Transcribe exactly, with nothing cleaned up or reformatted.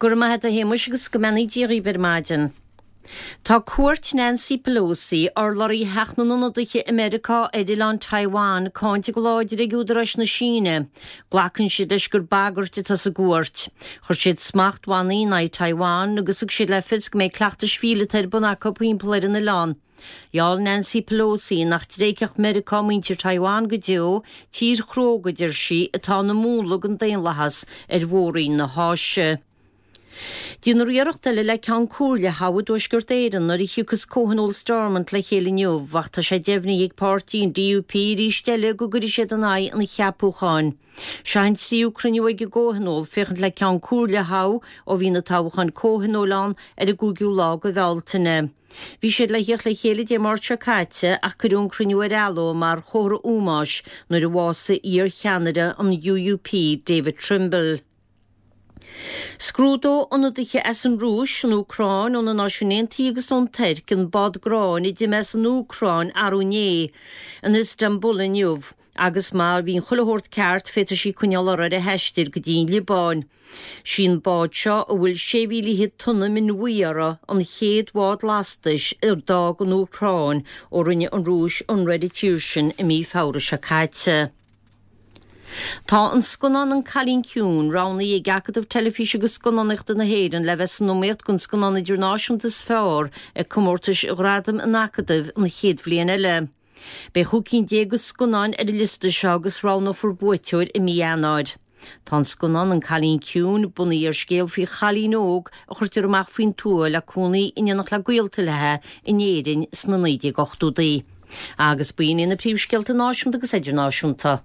Go raibh maith agat a Shéamuis agus go mbeannaí Dia dhaoibh ar maidin. Tá cuairt Nancy Pelosi, urlabhraí Theach na nIonadaithe i Meiriceá ar oileán Taiwan, cáinte go láidir ag údaráis na Síne. Glacann siad leis gur bagairt atá sa gcuairt. Chuir siad smachtbhannaí in aghaidh Taiwan agus thug siad le fios go mbeidh cleachtais mhíleata ar bun acu timpeall ar an oileán. Gheall Nancy Pelosi nach dtréigfeadh Meiriceá muintir Taiwan go deo, tír chróga a deir sí atá ina múnla don daonlathas ar mhór-roinn na hÁise. Déanfar iarracht eile le Ceann Comhairle a thoghadh i dTuaisceart Éireann nuair a thiocfas Comhthionól Stormont le chéile inniu, ach tá sé deimhnithe ag páirtí an DUP arís eile go gcuirfidh siad in aghaidh an cheapúcháin. Seo an tríú cruinniú ag an gComhthionól féachaint le Ceann Comhairle a thoghadh ó bhí na toghcháin comhthionóil ann ar an gcúigiú lá de Bhealtaine. Bhí siad le theacht le chéile Dé Máirt seo caite ach cuireadh an cruinniú ar athló mar chomhartha ómóis nuair a bhásaigh iar-cheannaire an UUP David Trimble. Scrúdóidh ionadaithe as an Rúis, an Úcráin, ó na Náisiúin Aontaithe agus ón Tuirc an bád gráin a d'imigh as an Úcráin arú inné in Istanbul inniu agus má bhíonn chuile shórt ceart féadfaidh sí coinneáil uirthi ar a haistear go dtí an Liobáin. Sí an bád seo a bhfuil sé mhíle fichead tonna min bhuí uirthi an chéad bhád lastais a d'fhág an Úcráin ó rinne an Rúis ionradh ar an tír sin i mí Feabhra seo caite. Tá an scannán An Cailín Ciúin roghnaithe ag Acadamh Teilifíse agus Scannánaíochta na hÉireann le bheith san iomaíocht don scannán idirnáisiúnta is fearr ag comórtais Ghradaim an Acadaimh an chéad bhliain eile. Beidh chúig cinn déag de scannáin ar an liosta seo agus roghnófar buaiteoir i mí Eanáir. Tá an scannán An Cailín Ciúin bunaithe ar scéal faoi chailín óg a chuirtear amach faoin tuath le cónaí in éineacht le gaolta léi in Éirinn sna naoi déag ochtóidí. Agus b'in iad na príomhscéalta náisiúnta agus idirnáisiúnta.